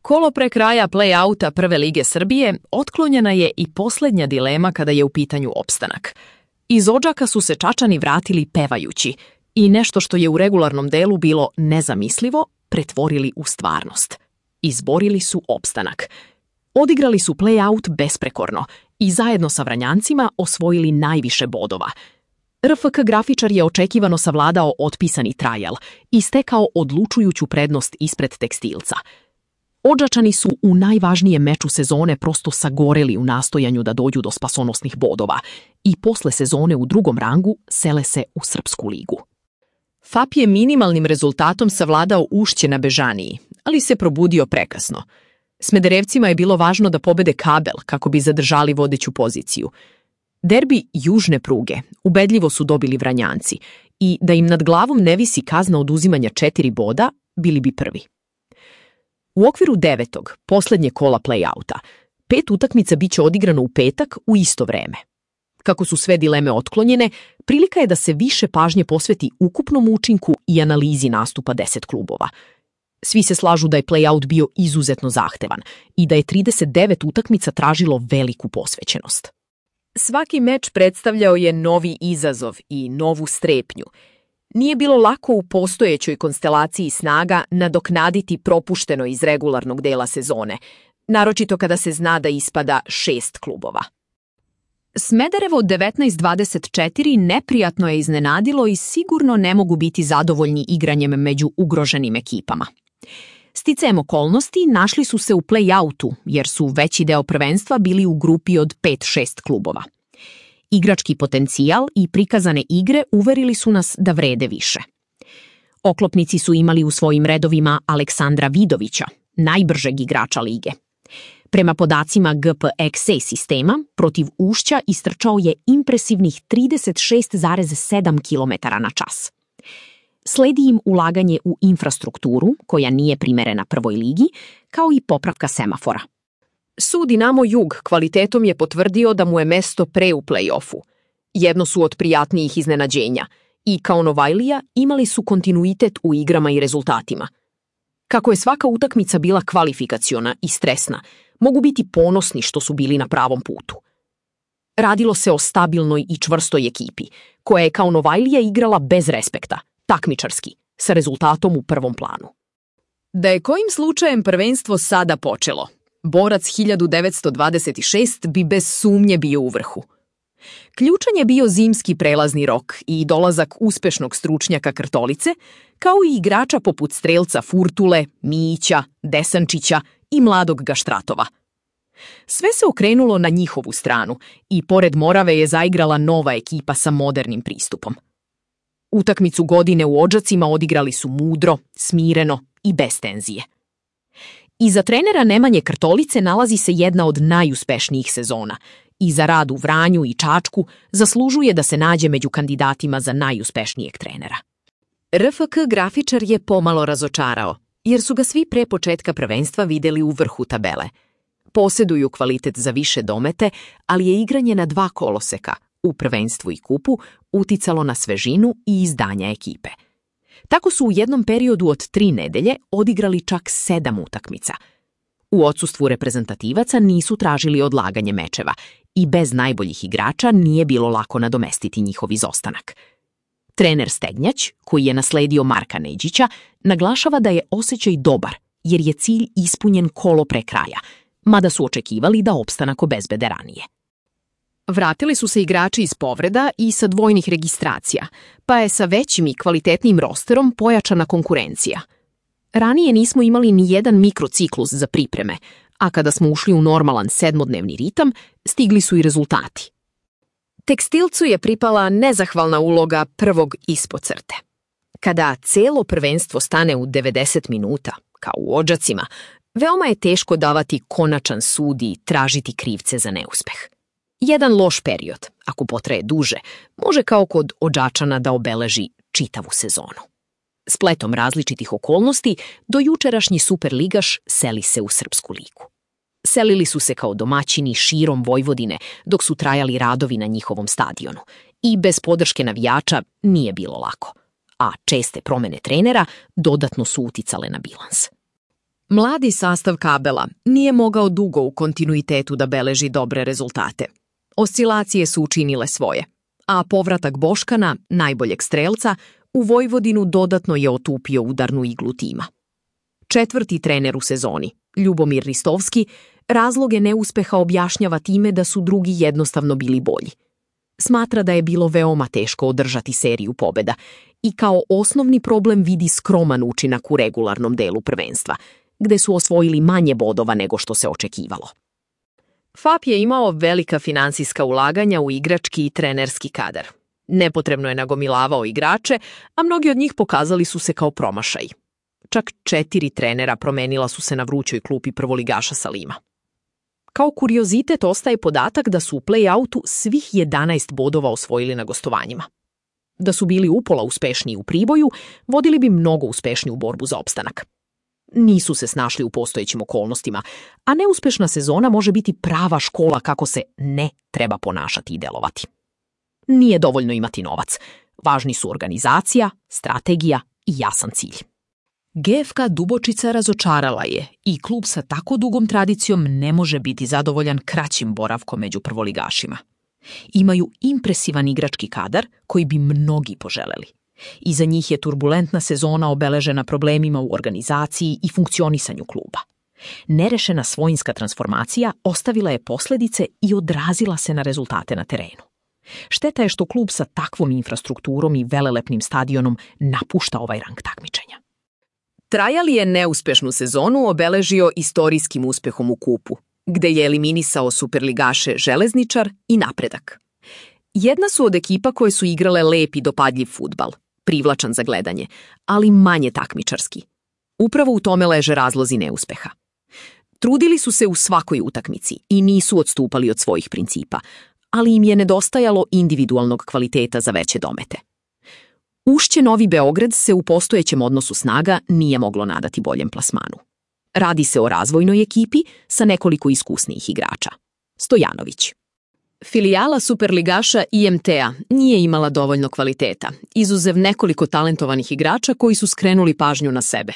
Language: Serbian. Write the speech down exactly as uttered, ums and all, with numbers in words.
Kolo pre kraja play-outa Prve lige Srbije otklonjena je i posljednja dilema kada je u pitanju opstanak. Iz Odžaka su se Čačani vratili pevajući i nešto što je u regularnom delu bilo nezamislivo pretvorili u stvarnost. Izborili su opstanak. Odigrali su play-out besprekorno i zajedno sa Vranjancima osvojili najviše bodova. R F K Grafičar je očekivano savladao otpisani trajal i stekao odlučujuću prednost ispred Tekstilca. Odžačani su u najvažnijem meču sezone prosto sagoreli u nastojanju da dođu do spasonosnih bodova i posle sezone u drugom rangu sele se u Srpsku ligu. F A P je minimalnim rezultatom savladao Ušće na Bežaniji, ali se probudio prekasno. Smederevcima je bilo važno da pobede Kabel kako bi zadržali vodeću poziciju. Derbi južne pruge ubedljivo su dobili Vranjanci i da im nad glavom ne visi kazna oduzimanja četiri boda, bili bi prvi. U okviru devetog, posljednje kola play-outa, pet utakmica biće odigrano u petak u isto vreme. Kako su sve dileme otklonjene, prilika je da se više pažnje posveti ukupnom učinku i analizi nastupa deset klubova. Svi se slažu da je play-out bio izuzetno zahtevan i da je trideset devet utakmica tražilo veliku posvećenost. Svaki meč predstavljao je novi izazov i novu strepnju. Nije bilo lako u postojećoj konstelaciji snaga nadoknaditi propušteno iz regularnog dela sezone, naročito kada se zna da ispada šest klubova. Smederevo devetnaest dvadeset četiri neprijatno je iznenadilo i sigurno ne mogu biti zadovoljni igranjem među ugroženim ekipama. Sticajem okolnosti našli su se u play-outu jer su veći deo prvenstva bili u grupi od pet šest klubova. Igrački potencijal i prikazane igre uverili su nas da vrede više. Oklopnici su imali u svojim redovima Aleksandra Vidovića, najbržeg igrača lige. Prema podacima G P X A sistema, protiv Ušća istrčao je impresivnih trideset šest zarez sedam kilometara na čas. Sledi im ulaganje u infrastrukturu, koja nije primerena prvoj ligi, kao i popravka semafora. Sud Dinamo Jug kvalitetom je potvrdio da mu je mesto pre u play-offu. Jedno su od prijatnijih iznenađenja i kao Novajlija imali su kontinuitet u igrama i rezultatima. Kako je svaka utakmica bila kvalifikaciona i stresna, mogu biti ponosni što su bili na pravom putu. Radilo se o stabilnoj i čvrstoj ekipi, koja je kao Novajlija igrala bez respekta, takmičarski, sa rezultatom u prvom planu. Da je kojim slučajem prvenstvo sada počelo, borac hiljadu devetsto dvadeset šest bi bez sumnje bio u vrhu. Ključan je bio zimski prelazni rok i dolazak uspešnog stručnjaka Krtolice, kao i igrača poput strelca Furtule, Mijića, Desančića i mladog Gaštratova. Sve se okrenulo na njihovu stranu i pored Morave je zaigrala nova ekipa sa modernim pristupom. Utakmicu godine u Odžacima odigrali su mudro, smireno i bez tenzije. Iza trenera Nemanje Krtolice nalazi se jedna od najuspešnijih sezona i za rad u Vranju i Čačku zaslužuje da se nađe među kandidatima za najuspešnijeg trenera. R F K Grafičar je pomalo razočarao, jer su ga svi pre početka prvenstva videli u vrhu tabele. Poseduju kvalitet za više domete, ali je igranje na dva koloseka, u prvenstvu i kupu, uticalo na svežinu i izdanja ekipe. Tako su u jednom periodu od tri nedelje odigrali čak sedam utakmica. U odsustvu reprezentativaca nisu tražili odlaganje mečeva i bez najboljih igrača nije bilo lako nadomestiti njihov izostanak. Trener Stegnjać, koji je nasledio Marka Neđića, naglašava da je osjećaj dobar jer je cilj ispunjen kolo pre kraja, mada su očekivali da opstanak obezbede ranije. Vratili su se igrači iz povreda i sa dvojnih registracija, pa je sa većim i kvalitetnim rosterom pojačana konkurencija. Ranije nismo imali ni jedan mikrociklus za pripreme, a kada smo ušli u normalan sedmodnevni ritam, stigli su i rezultati. Tekstilcu je pripala nezahvalna uloga prvog ispod crte. Kada celo prvenstvo stane u devedeset minuta, kao u Odžacima, veoma je teško davati konačan sud i tražiti krivce za neuspeh. Jedan loš period, ako potraje duže, može kao kod Odžačana da obeleži čitavu sezonu. Spletom različitih okolnosti, do jučerašnji superligaš seli se u Srpsku ligu. Selili su se kao domaćini širom Vojvodine dok su trajali radovi na njihovom stadionu i bez podrške navijača nije bilo lako, a česte promene trenera dodatno su uticale na bilans. Mladi sastav Kabela nije mogao dugo u kontinuitetu da beleži dobre rezultate. Oscilacije su učinile svoje, a povratak Boškana, najboljeg strelca, u Vojvodinu dodatno je otupio udarnu iglu tima. Četvrti trener u sezoni, Ljubomir Ristovski, razloge neuspeha objašnjava time da su drugi jednostavno bili bolji. Smatra da je bilo veoma teško održati seriju pobjeda i kao osnovni problem vidi skroman učinak u regularnom delu prvenstva, gde su osvojili manje bodova nego što se očekivalo. F A P je imao velika finansijska ulaganja u igrački i trenerski kadar. Nepotrebno je nagomilavao igrače, a mnogi od njih pokazali su se kao promašaji. Čak četiri trenera promenila su se na vrućoj klupi prvoligaša Salima. Kao kuriozitet ostaje podatak da su u play-outu svih jedanaest bodova osvojili na gostovanjima. Da su bili upola uspešniji u Priboju, vodili bi mnogo uspešniju borbu za opstanak. Nisu se snašli u postojećim okolnostima, a neuspešna sezona može biti prava škola kako se ne treba ponašati i delovati. Nije dovoljno imati novac. Važni su organizacija, strategija i jasan cilj. G F K Dubočica razočarala je i klub sa tako dugom tradicijom ne može biti zadovoljan kraćim boravkom među prvoligašima. Imaju impresivan igrački kadar koji bi mnogi poželeli. Iza njih je turbulentna sezona obeležena problemima u organizaciji i funkcionisanju kluba. Nerešena svojinska transformacija ostavila je posljedice i odrazila se na rezultate na terenu. Šteta je što klub sa takvom infrastrukturom i velelepnim stadionom napušta ovaj rang takmičenja. Trajali je neuspešnu sezonu obeležio istorijskim uspehom u kupu, gde je eliminisao superligaše Železničar i Napredak. Jedna su od ekipa koje su igrale lep i dopadljiv fudbal, privlačan za gledanje, ali manje takmičarski. Upravo u tome leže razlozi neuspeha. Trudili su se u svakoj utakmici i nisu odstupali od svojih principa, ali im je nedostajalo individualnog kvaliteta za veće domete. Ušće Novi Beograd se u postojećem odnosu snaga nije moglo nadati boljem plasmanu. Radi se o razvojnoj ekipi sa nekoliko iskusnijih igrača. Stojanović. Filijala superligaša I M T-a nije imala dovoljno kvaliteta, izuzev nekoliko talentovanih igrača koji su skrenuli pažnju na sebe.